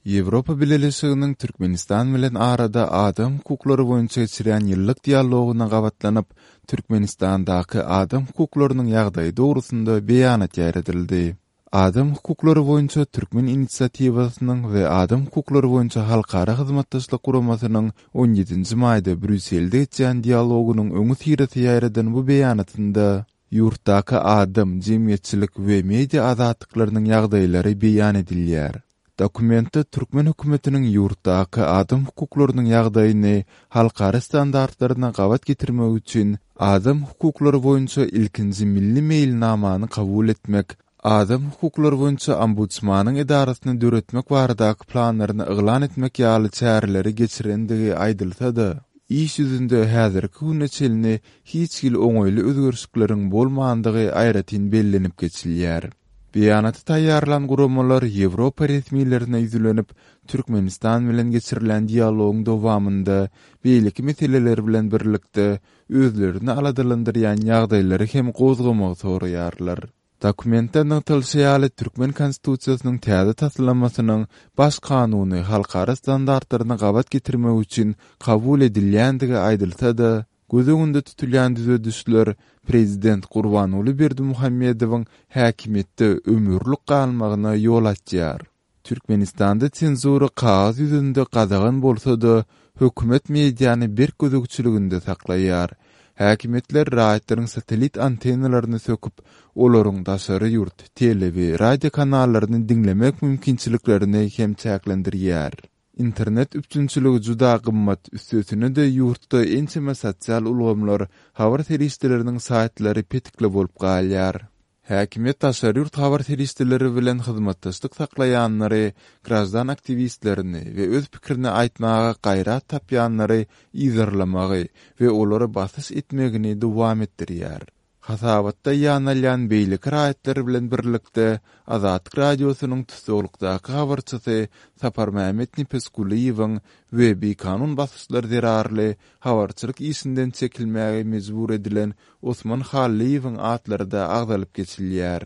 Ýewropa Bileleşiginiň Türkmenistan bilen arada adam hukuklary boýunça geçirýän ýyllyk dialogyna gabatlanyp, Türkmenistandaky adam hukuklarynyň ýagdaýy dogrusynda beýanat ýaýradyldy. Adam hukuklary boýunça Türkmen inisiatiwasynyň we Adam hukuklary boýunça halkara hyzmatdaşlyk guramasynyň on ýedinji maýda Brýusselde geçýän dialogynyň öňüsyrasy ýaýradan bu beýanatynda ýurtdaky adam, jemgyýetçilik we media azatlyklarynyň ýagdaýlary beýan edilýär. Dokumentde türkmen hökümetiniň ýurtdaky adam hukuklarynyň ýagdaýyny halkara standartlaryna gabat getirmek üçin adam hukuklary boýunça ilkinji milli meýilnamany kabul etmek, adam hukuklary boýunça Ombudsmanyň edarasyny döretmek baradaky planlaryny yglan etmek ýaly çäreleri geçirendigi aýdylsa-da, iş ýüzünde häzirki güne çenli hiç hili oňaýly özgerişlikleriň bolmandygy aýratyn bellenip geçilýär. Beýanaty taýýarlan guramalar Ýewropa resmilerine ýüzlenip, Türkmenistan bilen geçirilýän dialogyň dowamynda beýleki meseleler bilen birlikde, özlerini aladalandyrýan ýagdaýlary hem gozgamagy soraýarlar. Dokumentde nygtalyşy ýaly, türkmen Konstitusiýasynyň täze taslamasynyň Baş kanuny halkara standartlaryna gabat getirmek üçin kabul edilýändigi aýdylsa-da, Göz öňünde tutulýan düzedişler prezident Gurbanguly Berdimuhamedowyň häkimiýetde ömürlik galmagyna ýol açýar. Türkmenistanda senzura kagyz ýüzünde gadagan bolsa-da, hökümet mediany berk gözegçiliginde saklaýar. Häkimiýetler raýatlaryň satellit antennalaryny söküp, olaryň daşary ýurt tele we radio kanallaryny diňlemek mümkinçiliklerini hem çäklendirýär. Internet üpjünçiligi juda gymmat, üstesine-de ýurtda ençeme sosial ulgamlar, habar serişdeleriniň saýtlary petikli bolup galýar. Häkimiýet daşary ýurt habar serişdeleri bilen hyzmatdaşlyk saklaýanlary, graždan aktiwistlerini we öz pikirini aýtmaga gaýrat tapýanlary yzarlamagy we olara basyş etmegini dowam etdirýär. Hasabatda ýanalýan beýleki raýatlar bilen birlikde Azatlyk Radiosynyň tussaglykdaky habarçysy Saparmämmet Nepesgulyýewiň we bikanun basyşlar zerarly habarçylyk işinden çekilmäge mejbur edilen Osman Hallyýewiň atlary-da agzalyp geçilýär.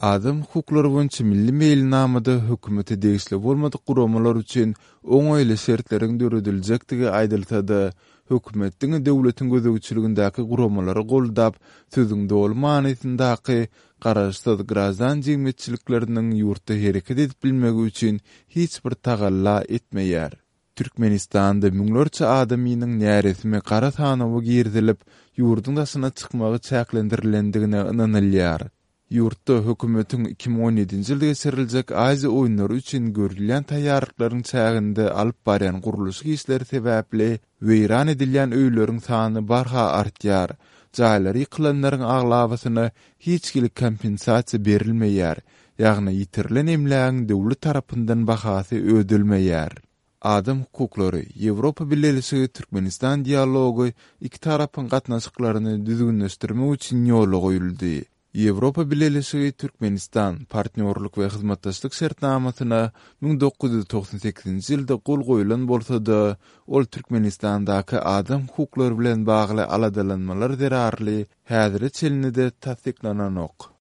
Adam hukuklary boýunça milli meýilnamada hökümete degişli bolmadyk guramalar üçin oňaýly şertleriň dörediljekdigi aýdylsa-da, hökümet diňe döwletiň gözegçiligindäki guramalary goldap, sözüň doly manysyndaky garaşsyz graždan jemgyýetçilikleriniň ýurtda hereket edip bilmegi üçin hiç bir tagalla etmeýär. Türkmenistanda müňlerçe adamynyň näresmi gara sanawa girizilip, ýurduň daşyna çykmagy çäklendirilendigine ynanylýar. Ýurtda hökümetiň 2017-nji ýylda geçiriljek Aziýa oýunlary üçin görülýän taýýarlyklaryň çäginde alyp barýan gurluşyk işleri sebäpli weýran edilýän öýleriň sany barha artýar. Jaýlary ýykylanlaryň aglabasyna hiç hili kompensasiýa berilmeýär, ýagny ýitirilen emlägiň döwlet tarapyndan bahasy ödelmeýär. Adam hukuklary, Ýewropa Bileleşigi Türkmenistan dialogy iki tarapyň gatnaşyklaryny düzgünleşdirmek üçin ýola goýuldy. Ýewropa Bileleşigi Türkmenistan, Partnýorlyk we hyzmatdaşlyk şertnamasyna 1998-nji ýylda gol goýlan bolsa-da, ol Türkmenistandaky adam hukuklary bilen bagly aladalanmalar zerarly häzire çenli-de tassyklananok.